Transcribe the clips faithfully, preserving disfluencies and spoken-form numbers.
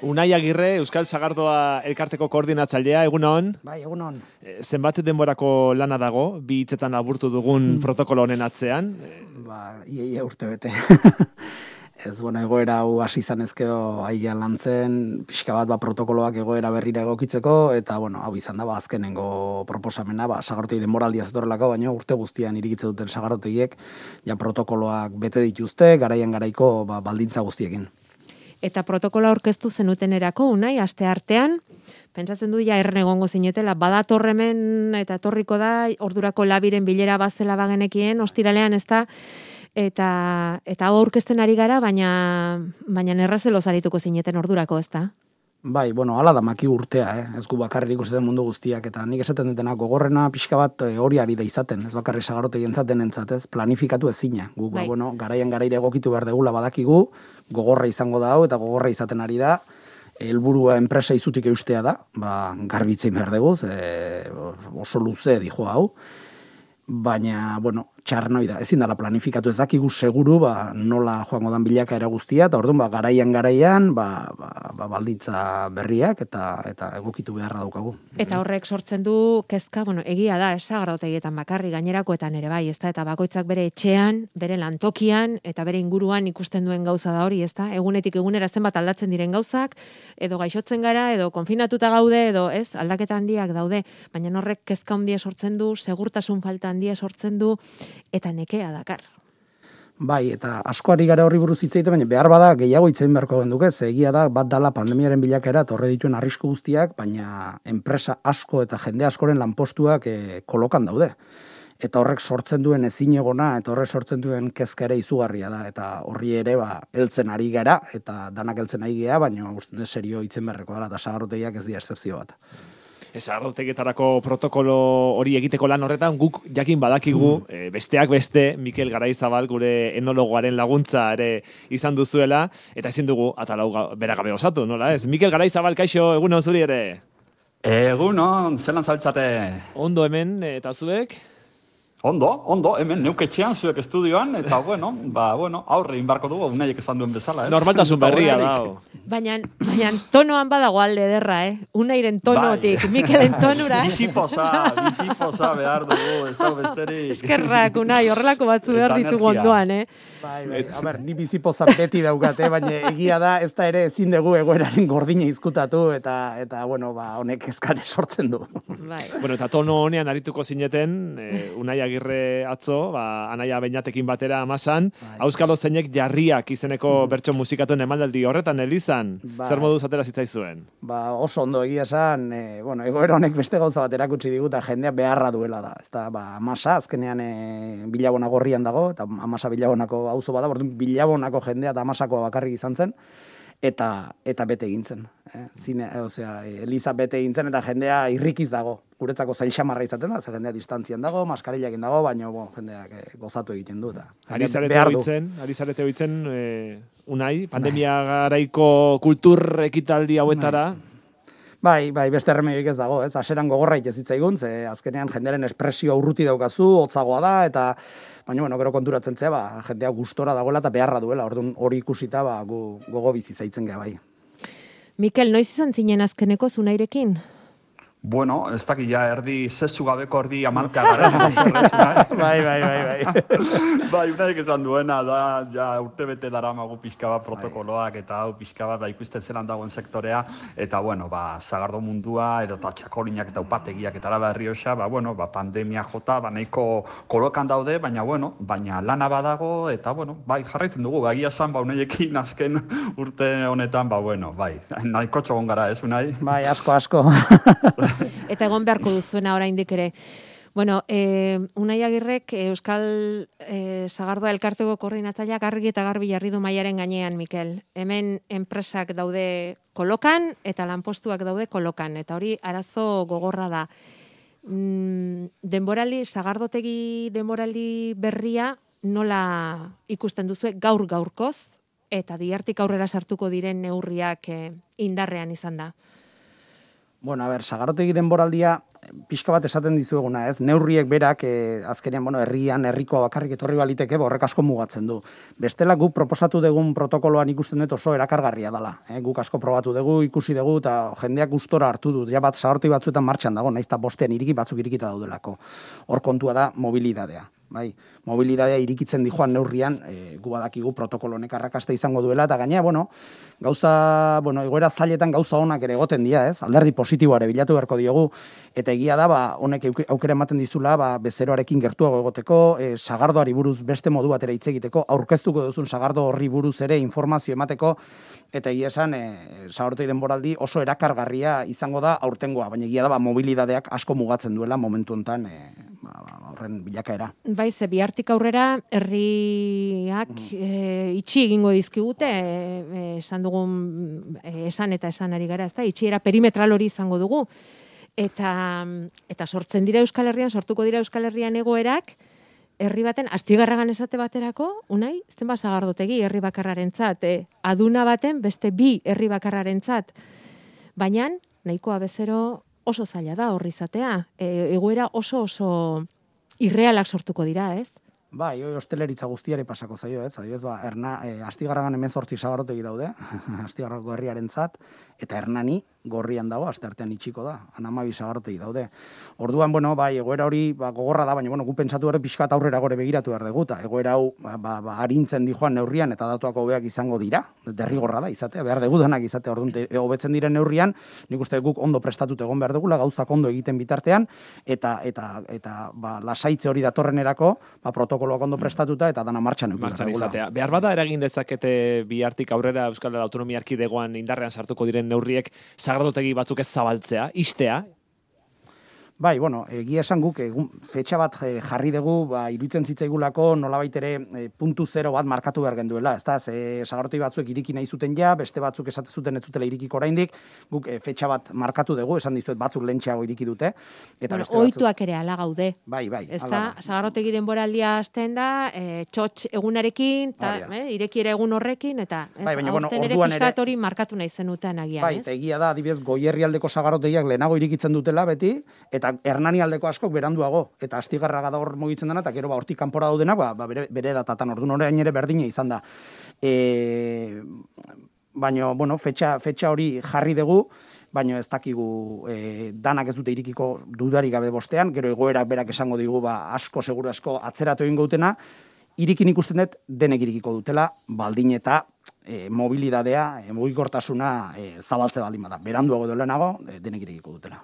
Unai Agirre, Euskal Sagardoa elkarteko koordinatzailea, egunon. Bai, egunon. Zenbat denborako lana dago, bi hitzetan aburtu dugun protokolo honen atzean? Ba, ia, ia urte bete. Ez, bueno, egoera hau hasi izan ezkeo aia lantzen, pixka bat ba, protokoloak egoera berrira egokitzeko, eta, bueno, hau izan da, ba, azkenengo proposamena, ba, sagarrotegi denboraldia zetorrelako, baina urte guztian irikitze duten sagarrotegiek, ja protokoloak bete dituzte, garaian garaiko ba, baldintza guztiekin. Eta protokoloa aurkeztu zenutenerako, Unai, aste artean, pentsatzen du ja erren egongo zinetela, badator hemen eta etorriko da, ordurako labiren bilera bazela bagenekien, ostiralean ez da, eta eta hau aurkezten ari gara, baina baina errazelo zarituko zineten ordurako, ez da? Bai, bueno, hala da maki urtea, eh? Ez gu bakarrik ikusten mundu guztiak, eta nik esaten dutena gogorrena pixka bat hori ari da izaten, ez bakarrik sagarrotegi entzaten entzat, ez, planifikatu ezina. Gu, bai. ba, bueno, garaian garaire egokitu behar degula badakigu, gogorra izango da hau, eta gogorra izaten ari da, helburua enpresa izutik eustea da, ba, garbitzein behar dugu, e, oso luze dijo hau, baina, bueno, txarnoi da, ezin dela planifikatu ez dakigu seguru, ba, nola joango dan bilakaera guztia, eta orduan, ba, garaian garaian, ba, ba, ba, balditza berriak, eta eta egokitu beharra daukagu. Eta horrek sortzen du kezka, bueno, egia da, ez sagardotegietan bakarri, gainerakoetan ere bai, ez da, eta bakoitzak bere etxean, bere lantokian, eta bere inguruan ikusten duen gauza da hori, ez da, egunetik egunera zenbat aldatzen diren gauzak, edo gaixotzen gara, edo konfinatuta gaude, edo ez, aldaketa handiak daude, baina horrek kezka handia sortzen du, segurtasun falta handia sortzen du, eta nekea dakar. Bai, eta asko ari gara horri buruz hitz egiten, baina behar bada gehiago hitz egin beharko genduke, ze egia da bat dala pandemiaren bilakaera torre dituen arrisku guztiak, baina enpresa asko eta jende askoren lanpostuak e, kolokan daude. Eta horrek sortzen duen ezinegona, eta horrek sortzen duen kezka ere izugarria da, eta horri ere ba heltzen ari gara, eta danak heltzen ari gea, baina uste dut serio hitzen beharreko dela, eta sagarrotegiak ez dira excepzio bat. Sagardotegietarako protokolo hori egiteko lan horretan, guk jakin badakigu, mm. e, besteak beste, Mikel Garaizabal gure enologoaren laguntza ere izan duzuela, eta ezin dugu atalau bera gabe osatu, nola ez? Mikel Garaizabal, kaixo, egunon zuri ere? Egunon, zelan zabiltzate? Ondo hemen, eta zuek? Ondo, ondo, hemen neuketxean zuek estudioan, eta bueno, ba, bueno, aurre inbarko dugu, unaiek esan duen bezala, ez? Normaltasun berria da. Baina, baina tonoan badago alde ederra, eh? Unairen tonotik, bai. Mikelen tonura. Bizipoza, bizipoza behar dugu, ez da besterik. Eskerrak, Unai, horrelako batzu behar ditugu ondoan, eh? Bai, bai, a ber, ni bizipoza beti daukat, eh? Baina egia da, ez da ere ezin dugu egoeraren gordina izkutatu, eta, eta bueno, ba, honek eskare sortzen du. Bai. Bueno, eta tono honean arituko zineten, eh, Unai Agirre atzo, ba, Anaia Beñatekin batera amasan, Auskalo zeinek jarriak izeneko mm. bertso musikatuen emanaldi horretan elizan, ba, zer moduz atera zitzaizuen? Ba, oso ondo egia esan, e, bueno, egoera honek beste gauza bat erakutsi digu, eta jendea beharra duela da. Ez da, ba, amasa, azkenean e, Bilabona gorrian dago, eta amasa Bilabonako auzo bada, bordun Bilabonako jendea eta amasakoa bakarrik izan zen, eta eta bete egin zen. Eh? Zine, e, osea, Eliza bete egin zen, eta jendea irrikiz dago. Guretzako zail xamarra izaten da, ze jendea distantzian dago, maskarillakin dago, baina bon, jendeak eh, gozatu egiten du. Ari zarete hoitzen, ari zarete hoitzen, eh, Unai, pandemia garaiko kultur ekitaldi hauetara? Bai, bai, beste erremedioik ez dago, ez? Haseran gogorra ez zitzaigun, ze azkenean jendearen espresio urruti daukazu, hotzagoa da, eta baina, bueno, gero konturatzen zea, ba, jendea gustora dagoela eta beharra duela, orduan hori ikusita, ba, gu, gogo bizi zaitzen gea bai. Mikel, noiz izan zinen azkeneko Unairekin? Bueno, ez dakit ja erdi zezu gabeko erdi amarka garen. Bai, bai, bai, bai. Bai, unaik esan duena da, ja urte bete dara magu pixka bat protokoloak eta hau pixka bat ba, ikusten zelan dagoen sektorea, eta bueno, ba, zagardo mundua, edo eta txakolinak eta upategiak eta Araba Errioxa, ba, bueno, ba, pandemia jota, ba, nahiko kolokan daude, baina, bueno, baina lana badago, eta, bueno, bai, jarraitzen dugu, ba, egia zan, ba, unaiekin azken urte honetan, ba, bueno, bai, nahiko txogon gara, ez, unai? Bai, asko, asko. Eta egon beharko duzuena oraindik ere. Bueno, eh, Unai Agirrek Euskal eh, Sagardoa elkarteko koordinatzaileak argi eta garbi jarri du mailaren gainean, Mikel. Hemen enpresak daude kolokan eta lanpostuak daude kolokan. Eta hori arazo gogorra da. Mm, denboraldi, sagardotegi denboraldi berria nola ikusten duzu gaur gaurkoz eta diartik aurrera sartuko diren neurriak eh, indarrean izan da? Bueno, a ber, sagarotegi denboraldia pixka bat esaten dizueguna, ez? Neurriek berak, eh, azkenean, bueno, herrian, herrikoa bakarrik etorri baliteke, horrek asko mugatzen du. Bestela guk proposatu dugun protokoloan ikusten dut oso erakargarria dela. Eh? Guk asko probatu dugu, ikusi dugu, eta jendeak gustora hartu du. Ja bat, sagarotegi batzuetan martxan dago, naiz eta bostean iriki batzuk irikita daudelako. Hor kontua da mobilidadea. Bai, mobilidadea irikitzen dijoan neurrian, e, gu badakigu protokolo honek arrakasta izango duela, eta gainera, bueno, gauza, bueno, egoera zailetan gauza onak ere egoten dira, ez? Alderdi positiboare bilatu beharko diogu, eta egia da, ba, honek aukera ematen dizula, ba, bezeroarekin gertuago egoteko, e, sagardoari buruz beste modu batera hitz egiteko, aurkeztuko duzun sagardo horri buruz ere informazio emateko, eta egia esan, e, sagarotegi denboraldi oso erakargarria izango da aurtengoa, baina egia da, ba, mobilidadeak asko mugatzen duela momentu honetan, e, ba, ba, horren bilakaera. Bai, ze bihartik aurrera herriak e, itxi egingo dizkigute, e, esan dugun e, esan eta esan ari gara, ezta? Itxiera perimetral hori izango dugu. Eta eta sortzen dira Euskal Herrian, sortuko dira Euskal Herrian egoerak, herri baten Astigarragan esate baterako, Unai, ezten ba sagardotegi herri bakarrarentzat, e, aduna baten beste bi herri bakarrarentzat. Baina nahikoa bezero oso zaila da horri izatea. E, egoera oso oso irrealak sortuko dira, ez? Bai, hoi hosteleritza guztiari pasako zaio, ez? Adibidez, ba, erna, e, Astigarragan hemezortzi sagarotegi daude, Astigarrako herriarentzat, eta Hernani gorrian dago, asteartean itxiko da, hamabi sagarotegi daude. Orduan, bueno, bai, egoera hori ba, gogorra da, baina bueno, gu pentsatu ere pixkat aurrera gore begiratu behar dugu, eta egoera hau ba, ba, ba, arintzen dijoan neurrian eta datuak hobeak izango dira, derrigorra da izatea, behar dugu denak izatea, orduan hobetzen diren neurrian, nik uste guk ondo prestatut egon behar dugula, gauzak ondo egiten bitartean, eta eta eta ba, lasaitze hori datorrenerako, ba, protokoloak ondo prestatuta eta dana martxan eduki Martxan izatea. Behar bada eragin dezakete bihartik aurrera Euskal Autonomia Erkidegoan indarrean sartuko diren neurriek sagardotegi batzuk ez zabaltzea, istea? Bai, bueno, egia esan guk egun fetxa bat jarri dugu, ba, iruditzen zitzaigulako nolabait ere e, puntu zero bat markatu behar genduela, ezta? Ze sagarotegi batzuk iriki nahi zuten ja, beste batzuk esate zuten ez zutela irikiko oraindik, guk e, fetxa bat markatu dugu, esan dizuet batzuk lentxeago iriki dute, eta bueno, beste batzuk ohituak ere hala gaude. Bai, bai, ezta? Sagarotegi denboraldia hasten da, e, txotx egunarekin, ta, eh, irekiera egun horrekin, eta ez, bai, baina, bueno, ere orduan ere hori markatu nahi zenuten agian, bai, ez? eta egia da, adibidez, Goierrialdeko sagarotegiak lehenago irikitzen dutela beti, eta Hernani aldeko askok beranduago, eta Astigarraga da hor mugitzen dena, eta gero ba hortik kanpora daudenak, ba, ba bere, bere datatan orduan orain ere berdina izan da. E, baina, bueno, fetxa, fetxa hori jarri dugu, baina ez dakigu e, danak ez dute irikiko dudarik gabe bostean, gero egoerak berak esango digu, ba, asko, seguru asko atzeratu egingo dutena, irikin ikusten dut denek irikiko dutela, baldin eta e, mobilidadea, e, mugikortasuna e, zabaltze baldin bada. Beranduago edo lehenago, e, denek irikiko dutela.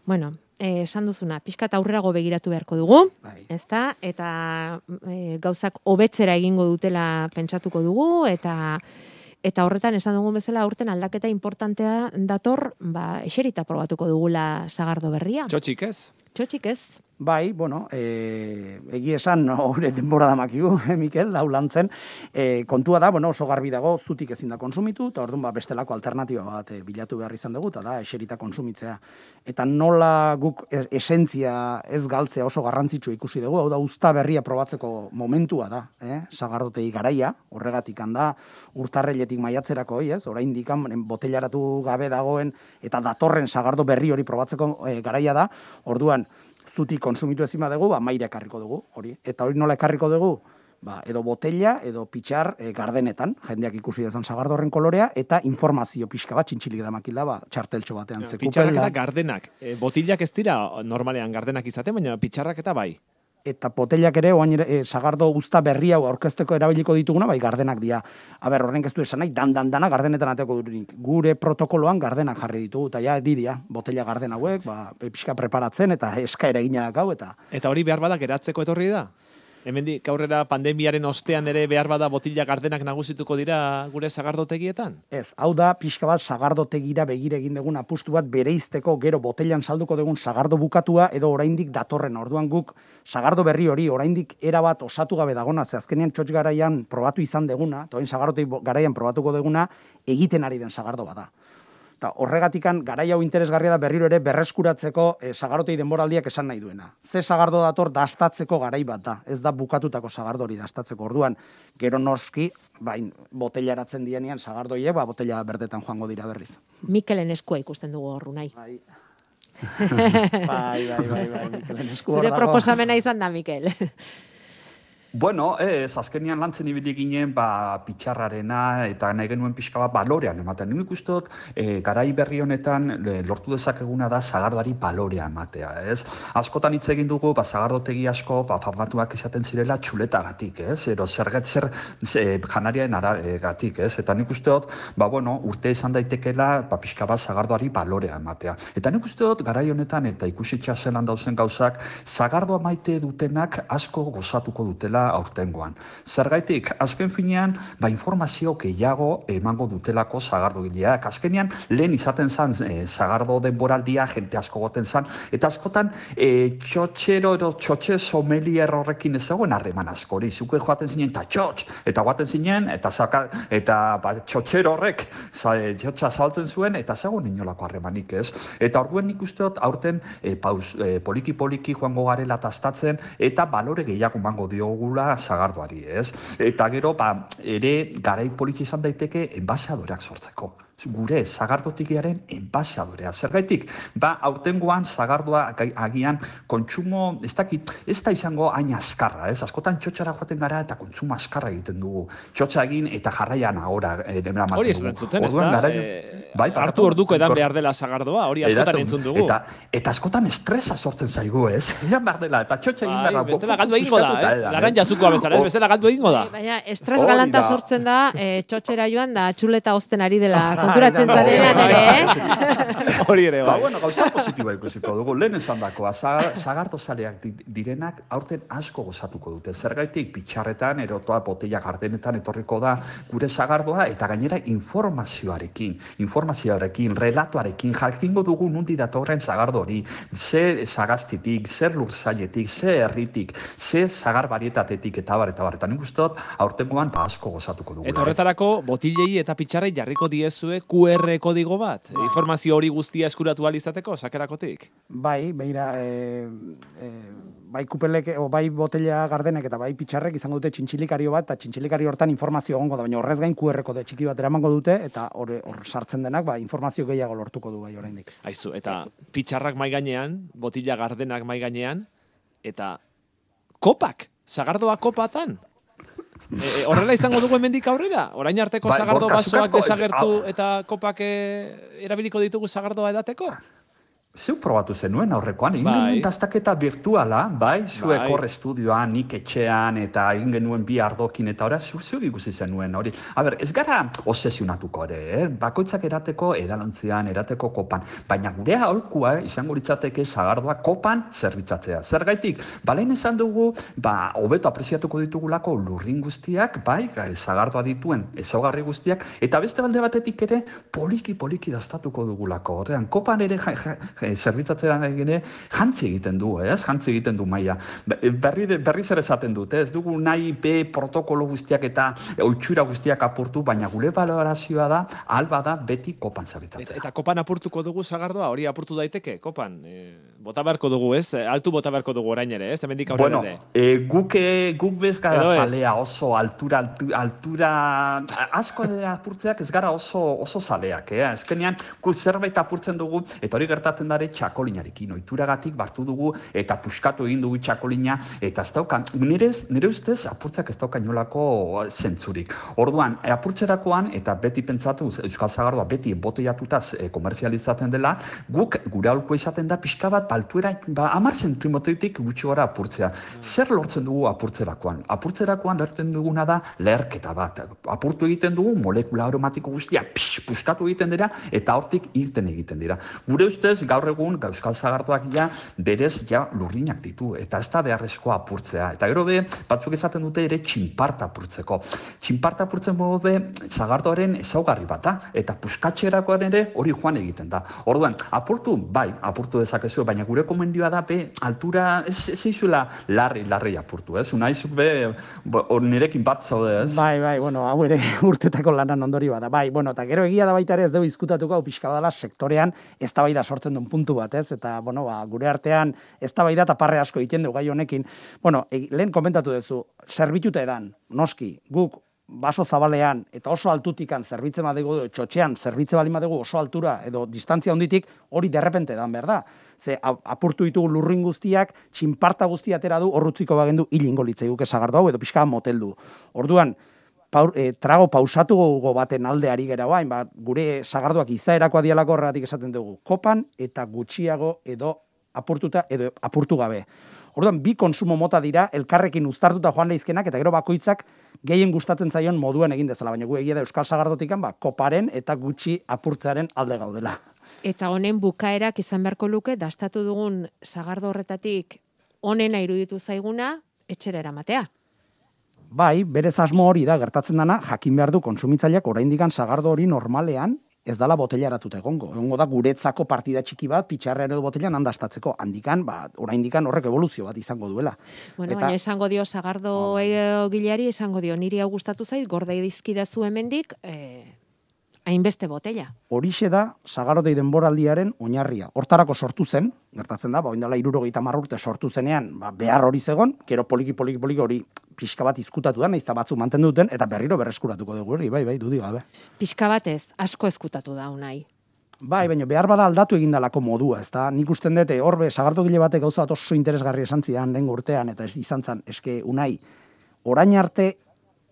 Bueno, eh, esan duzuna, pixkat aurrerago begiratu beharko dugu, Bai. ezta? Eta e, gauzak hobetzera egingo dutela pentsatuko dugu, eta eta horretan esan dugun bezala aurten aldaketa importantea dator, ba, eserita probatuko dugula sagardo berria. Txotxik ez? Txotxik ez? Bai, bueno, e, egi esan, hori denbora da makigu, eh, Mikel, lau lantzen, e, kontua da, bueno, oso garbi dago, zutik ezin da konsumitu, eta orduan ba, bestelako alternatiba bat e, bilatu behar izan dugu, eta da, eserita konsumitzea. Eta nola guk esentzia ez galtzea oso garrantzitsua ikusi dugu, hau da, uzta berria probatzeko momentua da, eh? Sagardotegi garaia, horregatik handa, urtarreiletik maiatzerako, ez? Oraindik botellaratu gabe dagoen, eta datorren sagardo berri hori probatzeko e, garaia da, orduan, zutik konsumitu ezin badugu, ba, maire ekarriko dugu, hori. Eta hori nola ekarriko dugu? Ba, edo botella, edo pitxar e, gardenetan, jendeak ikusi dezan sagardorren kolorea, eta informazio pixka bat, txintxilik da makila, ba, txarteltxo batean. Ja, pitxarrak eta gardenak. E, botillak ez dira normalean gardenak izaten, baina pitxarrak eta bai. Eta botellak ere, oain ere, e, sagardo guzta berri hau aurkezteko erabiliko dituguna, bai, gardenak dira. Aber, horren ez du esan nahi, dan, dan, dana gardenetan ateko durik. Gure protokoloan gardenak jarri ditugu, eta ja, iridia, botella garden hauek, ba, pixka preparatzen, eta eskaera eginak hau, eta... Eta hori behar bada geratzeko etorri da? Hemendik aurrera pandemiaren ostean ere behar bada botilla gardenak nagusituko dira gure sagardotegietan? Ez, hau da pixka bat sagardotegira begire egin dugun apustu bat bereizteko gero botellan salduko dugun sagardo bukatua edo oraindik datorren. Orduan guk sagardo berri hori oraindik era bat osatu gabe dagona, ze azkenean txotx garaian probatu izan deguna, eta orain sagardotegi garaian probatuko deguna egiten ari den sagardo bada. Eta horregatikan garai hau interesgarria da berriro ere berreskuratzeko e, sagarotei denboraldiak esan nahi duena. Ze sagardo dator dastatzeko garai bat da, ez da bukatutako sagardori dastatzeko. Orduan, gero noski, bain, botellaratzen dienean sagardoiek, ba, botella berdetan joango dira berriz. Mikelen eskua ikusten dugu horru nahi. Bai. bai, bai, bai, bai, Mikelen esku hor Zure dago. proposamena izan da, Mikel. Bueno, ez, azkenian lantzen ibili ginen, ba, pitxarrarena, eta nahi genuen pixka bat balorean ematen. Nik uste e, garai berri honetan e, lortu dezakeguna da sagardari balorea ematea, ez? Askotan hitz egin dugu, ba, sagardotegi asko, ba, famatuak izaten zirela txuletagatik, ez? Ero zerget zer e, janariaren aragatik, ez? Eta nik uste dut, ba, bueno, urte izan daitekela, ba, pixka bat sagardoari balorea ematea. Eta nik uste dut, garai honetan, eta ikusitxa zelan dauzen gauzak, sagardoa maite dutenak asko gozatuko dutela aurtengoan. Zergaitik, azken finean, ba, informazio gehiago emango dutelako sagardogileak. Azkenean, lehen izaten zan e, sagardo denboraldia, jente asko goten zan, eta askotan e, txotxero edo txotxe somelier horrekin ez zegoen harreman askori. Zuke joaten zinen, eta txotx, eta guaten zinen, eta, zaka, eta ba, txotxero horrek za, e, txotxa saltzen zuen, eta zegoen inolako harremanik ez. Eta orduen nik usteot, aurten e, paus, e, poliki-poliki joango garela tastatzen, eta balore gehiago mango diogula sagardoari, ez? Eta gero, ba, ere garai poliki izan daiteke enbaseadoreak sortzeko. Gure sagardotikiaren enbaseadorea. Zergaitik, ba, aurtengoan sagardoa agian kontsumo, ez dakit, ez da izango hain askarra, ez? Askotan txotxara joaten gara eta kontsumo askarra egiten dugu. Txotxa egin eta jarraian ahora emera maten dugu. Hori ez entzuten, ez da? E, bai, hartu orduko edan behar dela sagardoa, hori askotan entzun dugu. Eta, eta askotan estresa sortzen zaigu, ez? Edan behar dela, eta txotxa egin behar da. Bestela galdu egingo da, ez? Laran jazukoa bezala, ez? Bestela galdu egingo da. Baina, estres galanta sortzen da, txotxera joan da, txuleta ozten ari dela. Konturatzen zarenean ere, eh? Hori ere, bai. Ba, bai. bueno, gauza positiboa ikusiko dugu. Lehen esan dakoa, sagardo zaleak direnak aurten asko gozatuko dute. Zergaitik, pitxarretan, erotoa, botella gardenetan etorriko da gure sagardoa, eta gainera informazioarekin, informazioarekin, relatoarekin, jakingo dugu nundi datorren sagardo hori, zer sagaztitik, zer lurzailetik, zer herritik, zer sagar barietatetik, eta bar, eta bar. Eta nik uste dut, aurtengoan ba asko gozatuko dugu. Eta horretarako, botillei eta pitxarrei jarriko diezue Q R kodigo bat? Informazio hori guztia eskuratu ahal izateko, sakerakotik? Bai, beira, e, e, bai kupelek, o bai botella gardenek eta bai pitxarrek izango dute txintxilikario bat, eta txintxilikario hortan informazio egongo da, baina horrez gain Q R kode txiki bat eramango dute, eta hor sartzen denak, ba, informazio gehiago lortuko du bai oraindik. Aizu, eta pitxarrak mai gainean, botilla gardenak mai gainean, eta kopak, sagardoa kopatan? E, horrela izango dugu hemendik aurrera? Orain arteko Ba, sagardo Borka, basoak zukasko, desagertu eh, eta kopak e, erabiliko ditugu sagardoa edateko? Zeu probatu zenuen aurrekoan, egin Bai. genuen dastaketa virtuala, bai, zuek Bai. hor estudioan, nik etxean, eta egin genuen bi ardokin, eta ora, zu, zu ikusi zenuen hori. A ber, ez gara obsesionatuko ere, eh? Bakoitzak erateko edalontzian, erateko kopan, baina gure aholkua izango litzateke sagardoa kopan zerbitzatzea. Zergaitik, balein esan dugu, ba, hobeto apreziatuko ditugulako lurrin guztiak, bai, sagardoa dituen ezaugarri guztiak, eta beste balde batetik ere, poliki-poliki dastatuko dugulako. Horrean, kopan ere ja, ja, zerbitzatzera egine jantzi egiten du, ez? Jantzi egiten du maila. Berri, berri zer esaten dute, ez dugu nahi be protokolo guztiak eta oitxura guztiak apurtu, baina gure valorazioa da, alba da beti kopan zerbitzatzea. Eta, eta kopan apurtuko dugu sagardoa, hori apurtu daiteke, kopan? E, bota beharko dugu, ez? Altu bota beharko dugu orain ere, ez? Hemendik aurrera Bueno, ere. e, guk, e, guk bez gara Edo ez? zalea oso altura, altura, altura asko apurtzeak ez gara oso, oso zaleak, eh? Ezkenean, gu zerbait apurtzen dugu, eta hori gertatzen dare txakolinarekin, oituragatik bartu dugu, eta puskatu egin dugu txakolina, eta ez dauka, nirez, nire ustez, apurtzeak ez dauka inolako zentzurik. Orduan, e, apurtzerakoan, eta beti pentsatu, Euskal Sagardoa beti emboteiatutaz e, komerzializatzen dela, guk gure aholko izaten da pixka bat baltuera, ba, amar zentrimotoitik gutxi gara apurtzea. Zer lortzen dugu apurtzerakoan? Apurtzerakoan lortzen duguna da leherketa bat. Apurtu egiten dugu, molekula aromatiko guztia, pix, puskatu egiten dira, eta hortik irten egiten dira. Gure ustez, gaur gaur egun euskal sagardoak ja berez ja lurrinak ditu, eta ez da beharrezkoa apurtzea. Eta gero be, batzuk esaten dute ere txinparta apurtzeko. Txinparta apurtzen modu be, sagardoaren ezaugarri bata, eta puskatxerakoan ere hori joan egiten da. Orduan, apurtu, bai, apurtu dezakezu, baina gure komendioa da be, altura, ez, ez izuela larri, larri apurtu, ez? Unaizuk be, nirekin bat zaude, ez? Bai, bai, bueno, hau ere urtetako lanan ondori bada. Bai, bueno, eta gero egia da baita ere ez dugu izkutatuko, hau pixka badala sektorean eztabaida sortzen duen puntu bat, ez? Eta, bueno, ba, gure artean eztabaida eta parre asko egiten du gai honekin. Bueno, e, lehen komentatu duzu, zerbituta edan, noski, guk baso zabalean eta oso altutikan zerbitzen badegu, txotxean zerbitze bali badegu oso altura edo distantzia honditik, hori derrepente edan behar da. Ze apurtu ditugu lurrin guztiak, txinparta guztia atera du, horrutziko bagendu hilingo litzaiguke sagardo hau edo pixka moteldu. Orduan, paur, e, trago pausatugo baten aldeari gera bain, ba, gure sagardoak izaerakoa dialako horregatik esaten dugu, kopan eta gutxiago edo apurtuta edo apurtu gabe. Orduan, bi konsumo mota dira, elkarrekin uztartuta joan leizkenak, eta gero bakoitzak gehien gustatzen zaion moduan egin dezala, baina gu egia da euskal sagardotikan, ba, koparen eta gutxi apurtzaren alde gaudela. Eta honen bukaerak izan beharko luke, dastatu dugun sagardo horretatik honena iruditu zaiguna, etxera eramatea. Bai, berez asmo hori da, gertatzen dana, jakin behar du konsumitzaileak oraindikan sagardo hori normalean, ez dala botellaratuta egongo. Egongo da guretzako partida txiki bat, pitxarra edo botellan handastatzeko. Handikan, ba, oraindikan horrek evoluzio bat izango duela. Bueno, eta, baina esango dio sagardo oh, gileari, esango dio, niri hau gustatu zait, gordei dizkidazu hemendik, eh, hainbeste botella. Horixe da sagarotei denboraldiaren oinarria. Hortarako sortu zen, gertatzen da, ba, oindala hirurogeita hamar urte sortu zenean, ba, behar hori zegon, gero poliki poliki poliki hori pixka bat izkutatu da, nahiz eta batzuk mantendu duten, eta berriro berreskuratuko dugu hori, bai, bai, dudik gabe. Pixka batez, asko ezkutatu da unai. Bai, baina behar bada aldatu egindalako modua, ezta? Nik usten dute, horbe, sagardogile batek gauza bat oso interesgarri esan zidan lehen urtean, eta ez izan zan, eske unai, orain arte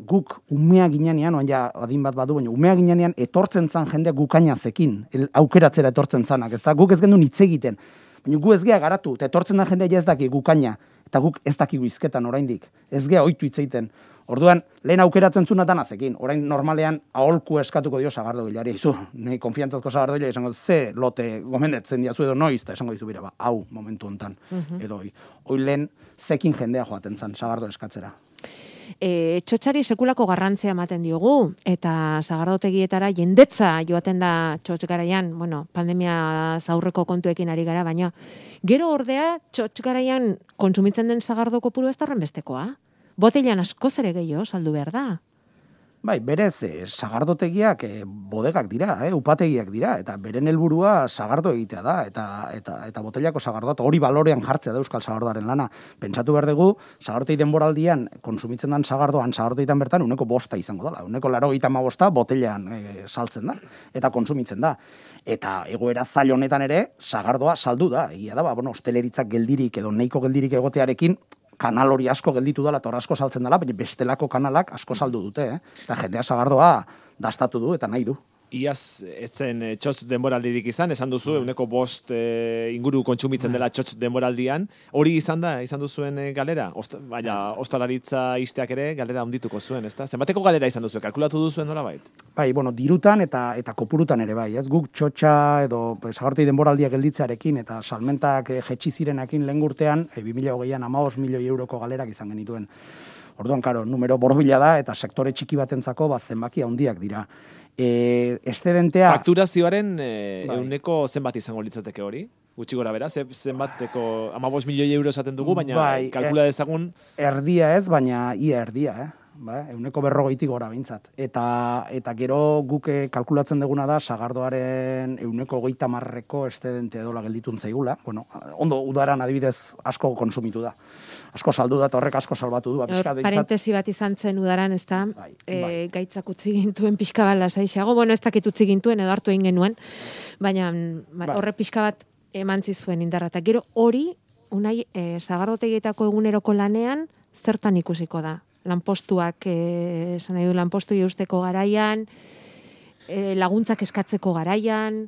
guk umea ginean, oan ja adin bat badu, baina umea ginean etortzen zan jendea gukainazekin, aukeratzera etortzen zanak, ezta? Guk ez gendu hitz egiten, baina gu ez gea garatu, eta etortzen da jendea ja ez daki gukaina, eta guk ez dakigu izketan oraindik, ez gea ohitu hitz egiten. Orduan, lehen aukeratzen zunatan azekin, orain normalean aholku eskatuko dio sagardo gilari, izu, nahi konfiantzazko sagardo gilari, esango, ze lote gomendetzen diazu edo noiz, eta esango dizu bira, ba, hau momentu hontan, uh-huh. edo hoi. Hoi lehen zekin jendea joaten zan sagardo eskatzera. E, txotxari sekulako garrantzia ematen diogu, eta sagardotegietara jendetza joaten da txotx garaian, bueno, pandemia zaurreko kontuekin ari gara, baina gero ordea txotx garaian kontsumitzen den sagardo kopuru ez da horrenbestekoa. Botellan askoz ere gehiago saldu behar da. Bai, berez, eh, sagardotegiak eh, bodegak dira, eh, upategiak dira, eta beren helburua sagardo egitea da, eta eta eta botellako sagardoa, hori balorean jartzea da euskal sagardoaren lana. Pentsatu behar dugu, sagardotei denboraldian konsumitzen den sagardoan, sagardoteitan bertan, uneko bosta izango dela. Uneko laurogeita hamabosta botellan eh, saltzen da, eta konsumitzen da. Eta egoera zail honetan ere, sagardoa saldu da. Egia da, ba, bueno, hosteleritzak geldirik edo neiko geldirik egotearekin, kanal hori asko gelditu dela, eta hor asko saltzen dela, baina bestelako kanalak asko saldu dute, eh? Eta jendea sagardoa dastatu du eta nahi du. Iaz, ez zen txotx denboraldirik izan, esan duzu, euneko bost e, inguru kontsumitzen dela txotx denboraldian. Hori izan da, izan duzuen e, galera? Ost, baina, ostalaritza izteak ere galera ondituko zuen, ezta? Zenbateko galera izan duzu, kalkulatu duzuen nola bait? Bai, bueno, dirutan eta eta kopurutan ere bai, ez? Guk txotxa edo sagartei denboraldia gelditzearekin eta salmentak e, jetxi zirenekin lehen urtean, e, bi mila hogeian hamabost milioi euroko galerak izan genituen. Orduan, karo, numero borobila da eta sektore txiki batentzako ba, zenbaki handiak dira. E, excedentea... Fakturazioaren e, bai. Euneko zenbat izango litzateke hori? Gutxi gora bera, zenbateko hamabost milioi euro esaten dugu, baina bai, kalkula dezagun... Erdia ez, baina ia erdia, eh? Ba, euneko berrogeitik gora bintzat. Eta, eta gero guk kalkulatzen duguna da, sagardoaren euneko hogeita marreko excedentea edola gelditun zaigula. Bueno, ondo udaran adibidez asko konsumitu da. Asko saldu da, eta horrek asko salbatu du. Ba, parentesi bat izan zen udaran, ez da, bai, e, bai. gaitzak utzi gintuen pixka bat lasaixeago, bueno, ez dakit utzi gintuen edo hartu egin genuen, baina bai. Horre pixka bat eman zizuen indarra. Eta gero hori, unai, e, sagardotegietako eguneroko lanean, zertan ikusiko da? Lanpostuak, e, esan nahi du, lanpostu eusteko garaian, e, laguntzak eskatzeko garaian...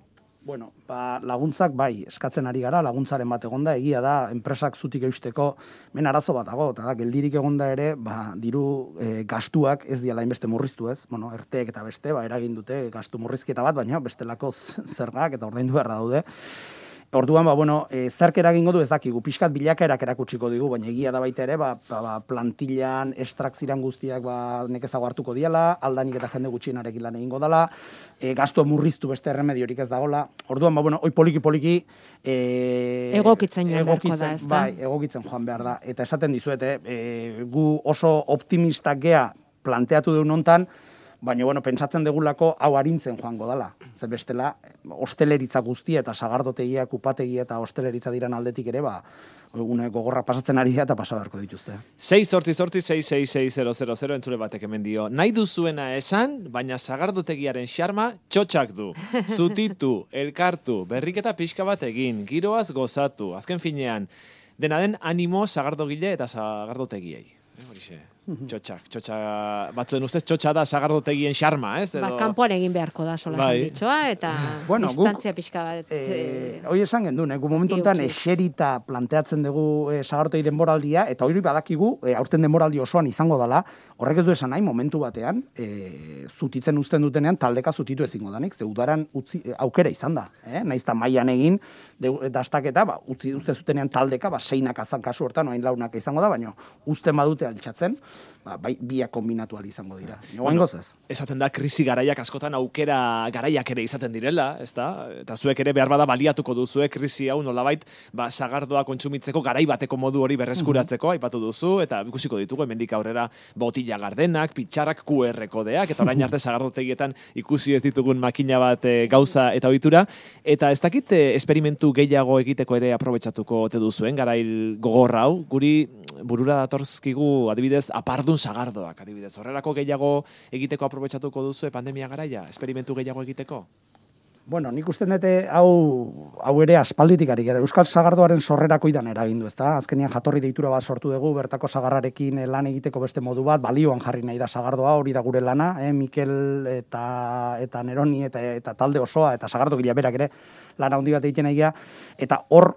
Bueno, ba, laguntzak bai, eskatzen ari gara, laguntzaren bat egonda, egia da, enpresak zutik eusteko, men arazo bat dago, eta da, geldirik egonda ere, ba, diru e, gastuak ez diala inbeste murriztu ez, bueno, erteek eta beste, ba, eragin dute gastu murrizketa bat, baina bestelako zergak eta ordaindu beharra daude. Orduan, ba, bueno, e, zerk eragingo du ez dakigu, pixkat bilakaerak erakutsiko digu, baina egia da baita ere, ba, ba, ba plantillan, estrakziran guztiak ba, nekezago hartuko diala, aldanik eta jende gutxienarekin lan egingo dala, e, gastu murriztu beste erremediorik ez dagola. Orduan, ba, bueno, oi poliki-poliki e, egokitzen joan beharko da, ez da? Bai, egokitzen joan behar da. Eta esaten dizuete, e, gu oso optimistak gea planteatu deun hontan, baina, bueno, pentsatzen degulako hau arintzen joango dala. Zer bestela, hosteleritza guztia eta sagardotegiak, upategia eta hosteleritza diran aldetik ere, ba, une gogorra pasatzen ari eta pasa beharko dituzte. sei zortzi zortzi sei sei sei zero zero zero entzule batek hemen dio. Nahi duzuena esan, baina sagardotegiaren xarma txotxak du. Zutitu, elkartu, berriketa pixka bat egin, giroaz gozatu. Azken finean, dena den animo sagardogile eta sagardotegiei. Horixe. Txotxak, txotxak, batzuen ustez txotxa da sagardotegien xarma, ez? Ba, kanpoan egin beharko da sola bai. Ditxoa, eta bueno, distantzia pixka bat. E, hoi esan gendun, eh? Gu momentu enten eserita planteatzen dugu e, sagarotegi denboraldia, eta hori badakigu, e, aurten denboraldi osoan izango dela, horrek ez du esan nahi, momentu batean, e, zutitzen uzten dutenean, taldeka zutitu ezingo danik, ze udaran utzi, aukera izan da, eh? Naizta mailan egin, dastaketa, ba, utzi uzte zutenean taldeka, ba, seinak azan kasu hortan, oain launak izango da, baina uzten badute altxatzen, ba, bai, biak kombinatu ahal izango dira. Bueno, esaten da, krisi garaiak askotan aukera garaiak ere izaten direla, ez da? Eta zuek ere behar bada baliatuko duzuek krisi hau nolabait, ba, sagardoa kontsumitzeko garai bateko modu hori berreskuratzeko, mm-hmm. aipatu duzu, eta ikusiko ditugu, hemendik aurrera botila gardenak, pitxarrak, Q R kodeak, eta orain arte sagardotegietan ikusi ez ditugun makina bat e, gauza eta ohitura, eta ez dakit e, esperimentu gehiago egiteko ere aprobetxatuko ote duzuen, garail gogorra hau, guri burura datortzkigu adibidez apardun sagardoak, adibidez. Horrelako gehiago egiteko aprobetxatuko duzu pandemia garaia, esperimentu gehiago egiteko? Bueno, nik uste dute hau, hau ere aspalditik ari gara. Euskal sagardoaren sorrerako idan eragindu, ezta? Azkenean jatorri deitura bat sortu dugu, bertako sagarrarekin lan egiteko beste modu bat, balioan jarri nahi da sagardoa, hori da gure lana, eh? Mikel eta, eta Neroni eta, eta talde osoa, eta sagardo gila berak ere lana handi bat egiten egia, eta hor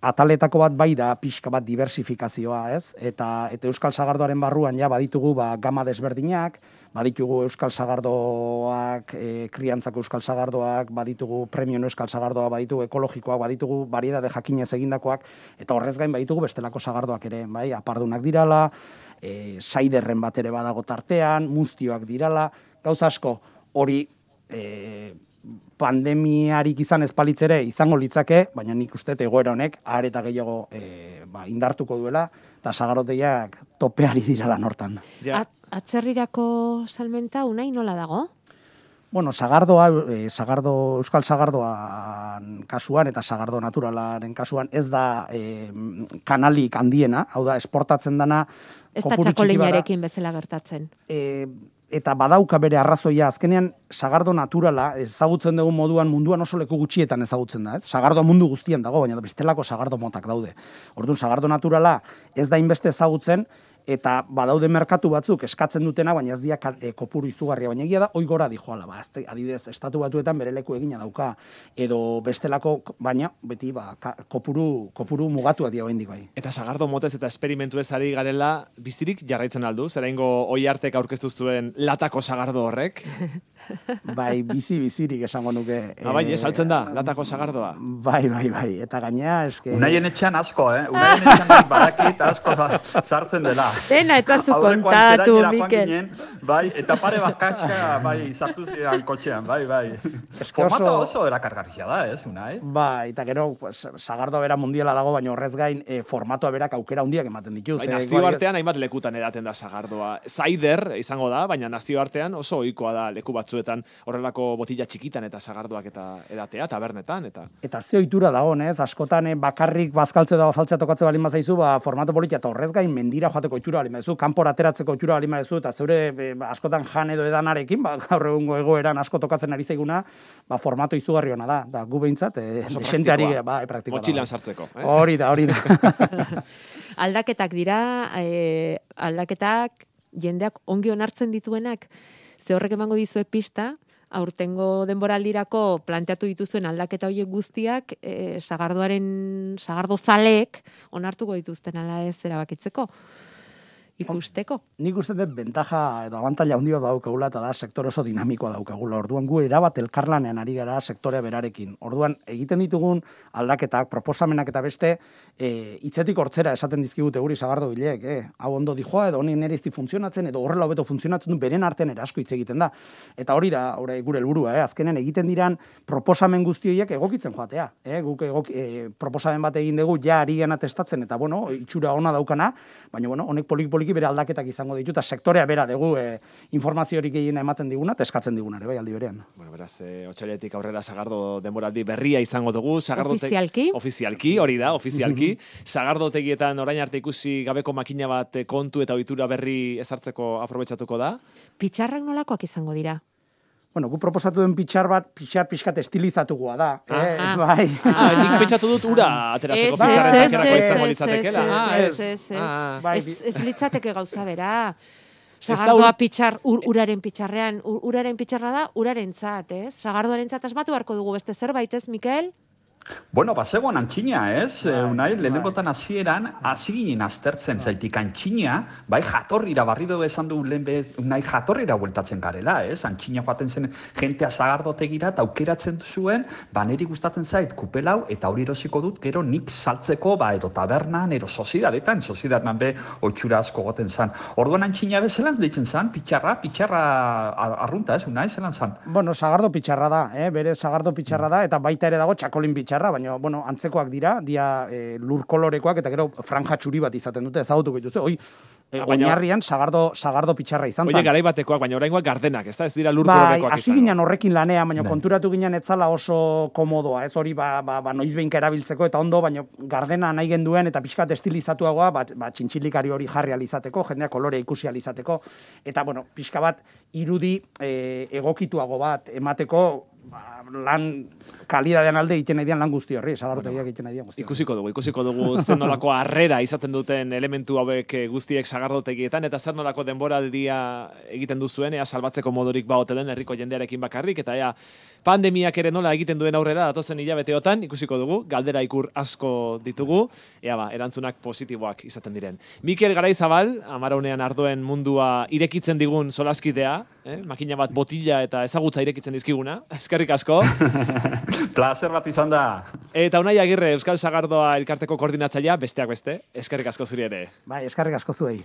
ataletako bat bai da pixka bat diversifikazioa, ez? Eta, eta Euskal Sagardoaren barruan ja baditugu ba, gama desberdinak, baditugu Euskal Sagardoak, e, kriantzako Euskal Sagardoak, baditugu premium Euskal Sagardoa, baditugu ekologikoak, baditugu variedade jakinez egindakoak, eta horrez gain baditugu bestelako sagardoak ere, bai? Apardunak dirala, e, saiderren bat ere badago tartean, muztioak dirala, gauza asko hori e, pandemiarik izan ezpalitzere izango litzake, baina nik uste egoera honek are eta gehiago e, ba, indartuko duela, eta sagardotegiak topeari dira lan hortan. At, atzerrirako salmenta unai nola dago? Bueno, sagardoa, e, sagardo, Euskal Sagardoan kasuan eta sagardo naturalaren kasuan ez da e, kanalik handiena, hau da, esportatzen dana ez da txakolinarekin bezala gertatzen. E, eta badauka bere arrazoia, azkenean sagardo naturala ezagutzen dugun moduan munduan oso leku gutxietan ezagutzen da, ez? Sagardo mundu guztian dago, baina bestelako sagardo motak daude. Orduan sagardo naturala ez da inbeste ezagutzen, eta badaude merkatu batzuk eskatzen dutena, baina ez dira e, kopuru izugarria, baina egia da, oi gora dijoala, ba, azte, adibidez, estatu batuetan bere leku egina dauka, edo bestelako, baina, beti, ba, ka, kopuru, kopuru mugatuak dira hendik bai. Eta sagardo motez eta esperimentu ez ari garela, bizirik jarraitzen aldu, zeraingo oi artek aurkeztu zuen latako sagardo horrek? Bai, bizi, bizirik esango nuke. Ah, bai, ez altzen da, latako sagardoa. Bai, bai, bai, eta gainea, eske... Unaien etxean asko, eh? Unaien etxean badakit asko sartzen dela. Dena, etzazu kontatu, Mikel. Ginen, bai, eta pare bat kaska, bai, sartu zidan kotxean, bai, bai. Formato oso, oso erakargarria da, ez, Unai? Bai, eta gero, sagardoa bera mundiala dago, baina horrez gain, e, formatoa berak aukera handiak ematen dituz. Bai, nazio artean hainbat lekutan edaten da sagardoa. Zaider izango da, baina nazio artean oso ohikoa da leku batzuetan horrelako botila txikitan eta sagardoak eta edatea, tabernetan, eta... Eta ze ohitura dago, ez? Askotan bakarrik bazkaltze da bazaltzea tokatze balin bazaizu, ba, formato politia, eta horrez gain mendira joateko ohitura balin baduzu, kanpora ateratzeko ohitura balin baduzu, eta zeure e, askotan jan edo edanarekin, ba, gaur egungo egoeran asko tokatzen ari zaiguna, ba, formato izugarri ona da. Da, gu behintzat, e, desenteari, ba, e, praktikoa. Motxilan sartzeko. Eh? Hori da, hori da. Aldaketak dira, e, aldaketak jendeak ongi onartzen dituenak, ze horrek emango dizue pista, aurtengo denboraldirako planteatu dituzuen aldaketa horiek guztiak e, sagardoaren, sagardo zaleek onartuko dituzten ala ez erabakitzeko. ikusteko. Nik uste dut bentaja edo abantaila handi bat daukagula eta da sektor oso dinamikoa daukagula. Orduan gu erabat elkarlanean ari gara sektorea berarekin. Orduan egiten ditugun aldaketak, proposamenak eta beste e, hitzetik hortzera esaten dizkigute guri sagardo bilek, eh? Hau ondo dijoa edo honi nere izti funtzionatzen edo horrela hobeto funtzionatzen du beren artean ere asko hitz egiten da. Eta hori da hori gure helburua, eh? Azkenen egiten diran proposamen guzti horiek egokitzen joatea, eh? Guk egok, e, proposamen bat egin dugu ja ari gana testatzen eta bueno, itxura ona daukana, baina bueno, honek poliki poliki bere aldaketak izango ditu eta sektorea bera dugu e, informazio hori gehiena ematen diguna eta eskatzen diguna ere bai aldi berean. Bueno, beraz, e, otsailetik aurrera Sagardo denboraldi berria izango dugu. Sagardo ofizialki? Ofizialki, hori da, ofizialki. Sagardotegietan orain arte ikusi gabeko makina bat kontu eta ohitura berri ezartzeko aprobetxatuko da. Pitxarrak nolakoak izango dira? Bueno, gu proposatu den pitxar bat, pitxar pixkat estilizatukoa da. Ah, eh? ah. Bai. Ah, nik pentsatu dut ura ateratzeko pitxarren takerako izango litzatekeela. Ah, ez. Bai, Ez ez litzateke gauza bera. Ez da Sagardoa ur- pitxar ur, uraren pitxarrean, ur, uraren pitxarra da urarentzat, ez? Sagardoarentzat asmatu beharko dugu beste zerbait, ez, Mikel? Bueno, bazegoan antxina, ez? Bai, Bai, Unai, bai. lehenengotan hasieran hasi ginen aztertzen zaitik antxina, bai jatorrira barrido esan du lehen bez, Unai jatorrira bueltatzen garela, ez? Antxina joaten zen jentea Sagardotegira eta aukeratzen zuen, ba niri gustatzen zait kupelau eta hori erosiko dut gero nik saltzeko, ba edo tabernan, ero sozidadetan, sozidadetan be oitxura asko goten zan. Orduan antxina bezelan deitzen zan, pitxarra, pitxarra ar- arrunta, ez? Unai, zelan zan? Bueno, sagardo pitxarra da, eh? Bere sagardo pitxarra da, eta baita ere dago txakolin pitxarra, baina, bueno, antzekoak dira, dia e, lur kolorekoak, eta gero franja txuri bat izaten dute, ezagutuko dituzu, oi, e, Ah, baina- oinarrian sagardo, sagardo pitxarra izan Oie, zen. garai batekoak, baina oraingoak gardenak, ez da? Ez dira lur Bai, kolorekoak hasi ginen horrekin lanean, baina Bai. konturatu ginen etzala oso komodoa, ez hori ba, ba, ba noizbeinka erabiltzeko eta ondo, baina gardena nahi genduen eta pixkat estilizatuagoa, ba, ba txintxilikari hori jarri alizateko, jendea kolore ikusi alizateko, eta bueno, pixka bat irudi e, egokituago bat emateko, ba, lan kalidadean alde egiten nahi dian lan guzti horri, sagardotegiak egiten nahi dian guzti horri. Ikusiko dugu, ikusiko dugu zer nolako harrera izaten duten elementu hauek eh, guztiek sagardotegietan, eta zer nolako denboraldia egiten duzuen, ea salbatzeko modurik baote den herriko jendearekin bakarrik, eta ea pandemiak ere nola egiten duen aurrera datozen hilabeteotan, ikusiko dugu, galdera ikur asko ditugu, ea ba, erantzunak positiboak izaten diren. Mikel Garaizabal, Amaraunean ardoen mundua irekitzen digun solaskidea, eh? Makina bat botila eta ezagutza irekitzen dizkiguna, eskerrik asko. Plazer bat izan da. Eta Unai Agirre, Euskal Sagardoa elkarteko koordinatzailea, besteak beste, eskerrik asko zuri ere. Bai, eskarrik asko zuei.